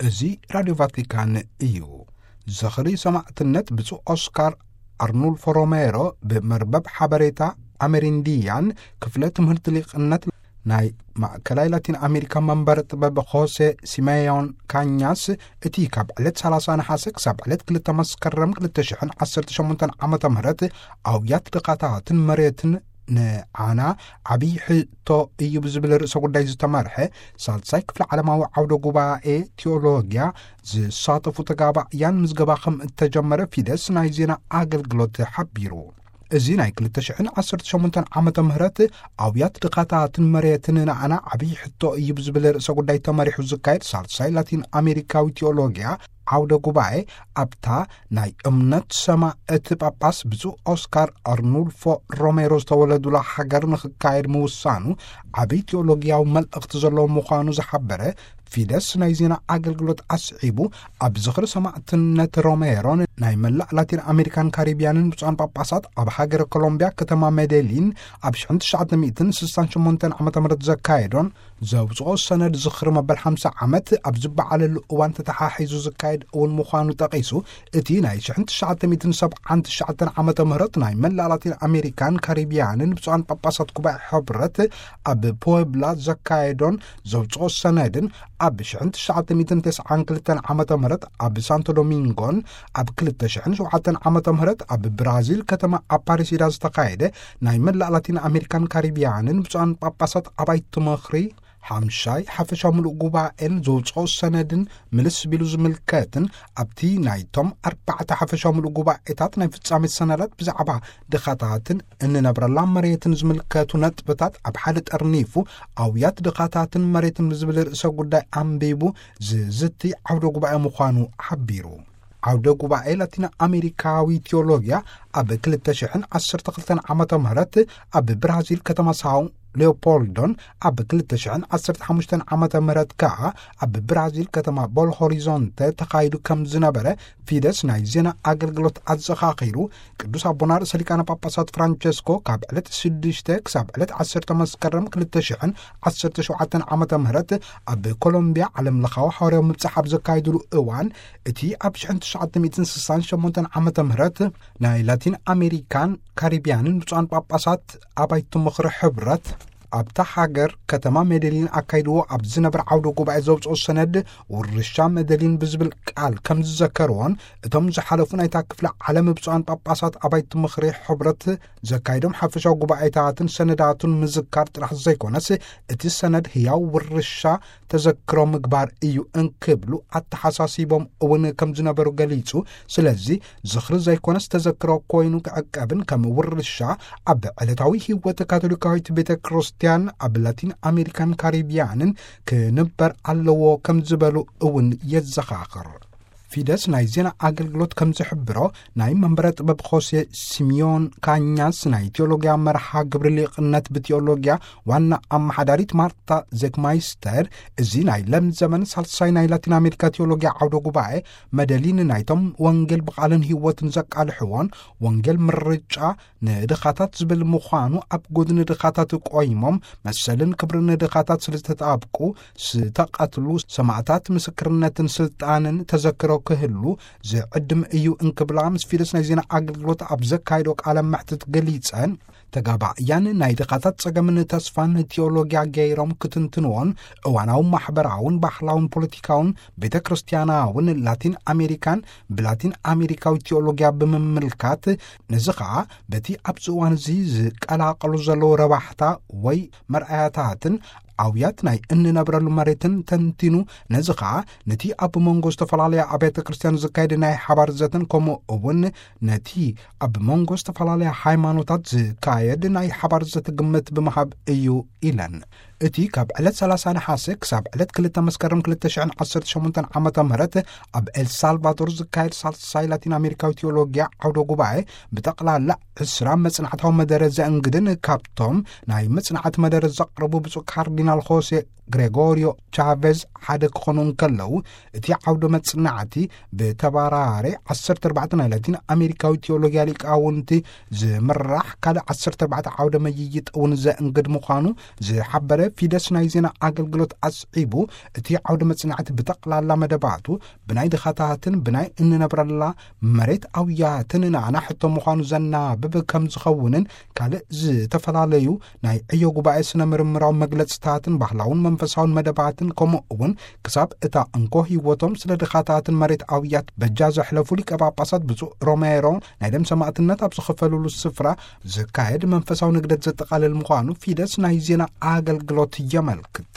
እዚ ራድዮ ቫቲካን እዩ። ዝኽሪ ሰማዕትነት ብፁዕ ኦስካር ኣርኑልፎ ሮሜሮ ብመርበብ ሓበሬታ ኣሜሪንዲያን ክፍለ ትምህርቲ ሊቅነት ናይ ማእከላይ ላቲን ኣሜሪካ መንበር ጥበብ ሆሴ ሲሜዮን ካኛስ፣ እቲ ካብ ዕለት ሰላሳ ነሓሰ ክሳብ ዕለት ክልተ መስከረም ክልተ ሽሕን ዓሰርተ ሸሞንተን ዓመተ ምህረት ኣውያት ድኻታትን መሬትን ንዓና ዓብዪ ሕቶ እዩ ብዝብል ርእሰ ጉዳይ ዝተመርሐ ሳልሳይ ክፍለ ዓለማዊ ዓውደ ጉባኤ ቲዮሎጊያ ዝሳተፉ ተጋባእያን ምዝገባ ከም እተጀመረ ፊደስ ናይ ዜና ኣገልግሎት ሓቢሩ። እዚ ናይ ክልተ ሽሕን ዓሰርተ ሸሞንተን ዓመተ ምህረት ኣውያት ድኻታትን መሬትን ንዓና ዓብዪ ሕቶ እዩ ብዝብል ርእሰ ጉዳይ ተመሪሑ ዝካየድ ሳልሳይ ላቲን ኣሜሪካዊ ቲዮሎጊያ ዓውደ ጉባኤ፣ ኣብታ ናይ እምነት ሰማእቲ ጳጳስ ብፁዕ ኦስካር ኣርኑልፎ ሮሜሮ ዝተወለዱላ ሃገር ንኽካየድ ምውሳኑ ዓብዪ ቲዮሎጊያዊ መልእኽቲ ዘለዎ ምዃኑ ዝሓበረ ፊደስ ናይ ዜና ኣገልግሎት ኣስዒቡ፣ ኣብ ዝኽሪ ሰማዕትነት ሮሜሮን ናይ መላእ ላቲን ኣሜሪካን ካሪቢያንን ብፁዓን ጳጳሳት ኣብ ሃገረ ኮሎምቢያ ከተማ ሜዴሊን ኣብ ሽሕን ትሽዓተ ሚእትን ስሳን ሸሞንተን ዓመተ ምህረት ዘካየዶን ዘውፅኦ ሰነድ ዝኽሪ መበል ሓምሳ ዓመት ኣብ ዝበዓለሉ እዋን ተተሓሒዙ ዝካየድ እውን ምዃኑ ጠቒሱ፣ እቲ ናይ ሽሕን ትሽዓተ ሚእትን ሰብዓን ትሽዓተን ዓመተ ምህረት ናይ መላእ ላቲን ኣሜሪካን ካሪቢያንን ብፁዓን ጳጳሳት ጉባኤ ሕብረት ኣብ ፖብላ ዘካየዶን ዘውፅኦ ሰነድን፣ ኣብ ሽሕን ትሽዓተ ሚእትን ተስዓን ክልተን ዓመተ ምህረት ኣብ ሳንቶ ዶሚንጎን ኣብ ክልተ ሽሕን ሸውዓተን ዓመተ ምህረት ኣብ ብራዚል ከተማ ኣፓሪሲዳ ዝተኻየደ ናይ መላእ ላቲን ኣሜሪካን ካሪቢያንን ብፁዓን ጳጳሳት ኣባይቲ ምኽሪ ሓምሻይ ሓፈሻዊ ምሉእ ጉባኤን ዘውፅኦ ሰነድን ምልስ ቢሉ ዝምልከትን፣ ኣብቲ ናይቶም ኣርባዕተ ሓፈሻዊ ምሉእ ጉባኤታት ናይ ፍጻሜ ሰነዳት ብዛዕባ ድኻታትን እንነብረላ መሬትን ዝምልከቱ ነጥብታት ኣብ ሓደ ጠርኒፉ፣ ኣውያት ድኻታትን መሬትን ብዝብል ርእሰ ጉዳይ ኣንቢቡ ዝዝቲ ዓውደ ጉባኤ ምዃኑ ሓቢሩ። ዓውደ ጉባኤ ላቲን ኣሜሪካዊ ቲዮሎጊያ ኣብ ክልተ ሽሕን ዓሰርተ ክልተን ዓመተ ምህረት ኣብ ብራዚል ከተማ ሳው ሌኦፖልዶን፣ ኣብ ክልተ ሽሕን ዓሰርተ ሓሙሽተን ዓመተ ምህረት ከኣ ኣብ ብራዚል ከተማ ቦሎ ሆሪዞንተ ተኻይዱ ከም ዝነበረ ፊደስ ናይ ዜና ኣገልግሎት ኣዘኻኺሩ። ቅዱስ ኣቦና ርእሰ ሊቃነ ጳጳሳት ፍራንቸስኮ ካብ ዕለት ሽዱሽተ ክሳብ ዕለት ዓሰርተ መስከረም ክልተ ሽሕን ዓሰርተ ሸውዓተን ዓመተ ምህረት ኣብ ኮሎምቢያ ዓለም ለኻዊ ሓዋርያዊ ምብጻሕ ኣብ ዘካየድሉ እዋን፣ እቲ ኣብ ሽሕን ትሽዓተ ሚእትን ስሳን ሸሞንተን ዓመተ ምህረት ናይ ላቲን ኣሜሪካን ካሪቢያንን ብፁዓን ጳጳሳት ኣባይቲ ምኽሪ ሕብረት ኣብታ ሃገር ከተማ ሜደሊን ኣካይድዎ ኣብ ዝነበረ ዓውደ ጉባኤ ዘውፅኦ ሰነድ፣ ውርሻ መደሊን ብዝብል ቃል ከም ዝዘከርዎን፣ እቶም ዝሓለፉ ናይታ ክፍለ ዓለም ብፁዓን ጳጳሳት ኣባይቲ ምኽሪ ሕብረት ዘካይዶም ሓፈሻዊ ጉባኤታትን ሰነዳቱን ምዝካር ጥራሕ ዘይኮነስ፣ እቲ ሰነድ ህያው ውርሻ ተዘክሮ ምግባር እዩ እንክብሉ ኣተሓሳሲቦም እውን ከም ዝነበሩ ገሊጹ። ስለዚ ዝኽሪ ዘይኮነስ ተዘክሮ ኮይኑ ክዕቀብን ከም ውርሻ ኣብ ዕለታዊ ህይወት ካቶሊካዊት ቤተ ክርስቲያን ኣብ ላቲን ኣሜሪካን ካሪቢያንን ክንበር ኣለዎ ከም ዝበሉ እውን የዘኻኽር። ፊደስ ናይ ዜና ኣገልግሎት ከም ዝሕብሮ፣ ናይ መንበረ ጥበብ ሆሴ ሲሚዮን ካኛስ ናይ ቴዎሎጊያ መርሓ ግብሪ ሊቕነት ብቴዎሎጊያ ዋና ኣመሓዳሪት ማርታ ዜክማይስተር፣ እዚ ናይ ለም ዘመን ሳልሳይ ናይ ላቲን ኣሜሪካ ቴዎሎጊያ ዓውደ ጉባኤ፣ መደሊን ናይቶም ወንጌል ብቓልን ህይወትን ዘቃልሕዎን ወንጌል ምርጫ ንድኻታት ዝብል ምዃኑ፣ ኣብ ጎድኒ ድኻታት ቆይሞም መሰልን ክብርን ድኻታት ስለ ዝተጣብቁ ዝተቐትሉ ሰማእታት ምስክርነትን ስልጣንን ተዘክሮ ክህሉ ዝዕድም እዩ እንክብላ ምስ ፊደስ ናይ ዜና ኣገልግሎት ኣብ ዘካየዶ ቃለ መሕትት ገሊጸን፣ ተጋባእያን ናይ ድኻታት ጸገምን ተስፋን ቴዎሎጊያ ገይሮም ክትንትንዎን እዋናዊ ማሕበራውን ባህላውን ፖለቲካውን ቤተ ክርስቲያናውን ላቲን ኣሜሪካን ብላቲን ኣሜሪካዊ ቴዎሎጊያ ብምምልካት፣ ነዚ ኸኣ በቲ ኣብዚ እዋን እዚ ዝቀላቀሉ ዘለዉ ረባሕታ ወይ መርኣያታትን ኣውያት ናይ እንነብረሉ መሬትን ተንቲኑ፣ ነዚ ኸኣ ነቲ ኣብ መንጎ ዝተፈላለያ ኣብያተ ክርስቲያን ዝካየድ ናይ ሓባር ዘተን ከምኡ እውን ነቲ ኣብ መንጎ ዝተፈላለያ ሃይማኖታት ዝካየድ ናይ ሓባር ዘተ ግምት ብምሃብ እዩ ኢለን። እቲ ካብ ዕለት ሰላሳ ነሓሰ ክሳብ ዕለት ክልተ መስከረም ክልተ ሽሕን ዓሰርተ ሸሞንተን ዓመተ ምህረት ኣብ ኤልሳልቫዶር ዝካየድ ሳልሳይ ላቲን ኣሜሪካዊ ቴዎሎጊያ ዓውደ ጉባኤ ብጠቕላላ ዕስራ መጽናዕታዊ መደረ ዘእንግድን፣ ካብቶም ናይ መጽናዕቲ መደረ ዘቕረቡ ብፁዕ ካርዲናል ሆሴ ግሬጎሪዮ ቻቬዝ ሓደ ክኾኑ እንከለዉ፣ እቲ ዓውደ መጽናዕቲ ብተባራሪ ዓሰርተ ኣርባዕተ ናይ ላቲን ኣሜሪካዊ ቴዎሎጊያ ሊቃውንቲ ዝምራሕ ካልእ ዓሰርተ ኣርባዕተ ዓውደ መይይጥ እውን ዘእንግድ ምዃኑ ዝሓበረ ፊደስ ናይ ዜና ኣገልግሎት ኣስዒቡ፣ እቲ ዓውደ መጽናዕቲ ብጠቕላላ መደባቱ ብናይ ድኻታትን ብናይ እንነብረላ መሬት ኣውያትን ንኣና ሕቶ ምዃኑ ዘናብብ ከም ዝኸውንን፣ ካልእ ዝተፈላለዩ ናይ ዕዮ ጉባኤ ስነ ምርምራዊ መግለጽታትን ባህላውን መንፈሳውን መደባትን፣ ከምኡ እውን ክሳብ እታ እንኮ ህይወቶም ስለ ድኻታትን መሬት ኣውያት በጃ ዘሕለፉ ሊቀ ጳጳሳት ብፁዕ ሮሜሮ ናይ ደም ሰማዕትነት ኣብ ዝኸፈሉሉ ስፍራ ዝካየድ መንፈሳዊ ንግደት ዘጠቓልል ምዃኑ ፊደስ ናይ ዜና ኣገልግሎት የመልክት።